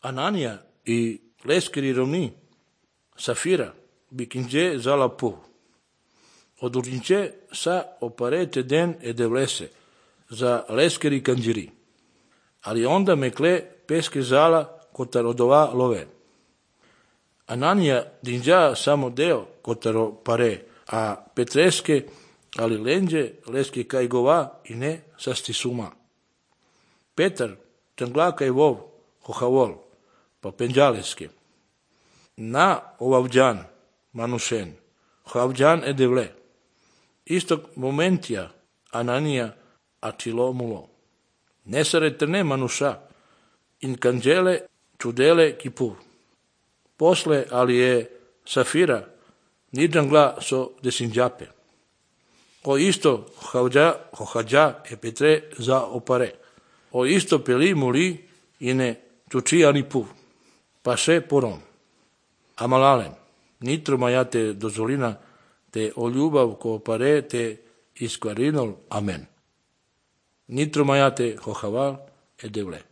Anania i leskeri rovni, Safira, bikinje zala pu. Odurinche sa oparete den e devlese, za leskeri kanđiri. Ali onda mekle peske zala kotarodova love. Anania dinđa samo deo kotaro pare, a petreske ali lenđe leske kajgova i ne sasti suma. Petar tangla kaj vov hohavol, pa penđaleske. Na ovavđan manušen, hohavđan e devle. Istog momentija Anania atilo mulo. Nesaretne manuša, in kanđele čudele kipur. Posle ali je Safira nidžangla so desinđape. O isto hohađa e petre za opare. O isto peli muli i ne čučijani pu. Pa še porom. Amalalen, nitro majate dozvolina te o ljubav ko opare te iskvarinol amen. Nitro majate hohaval e devle.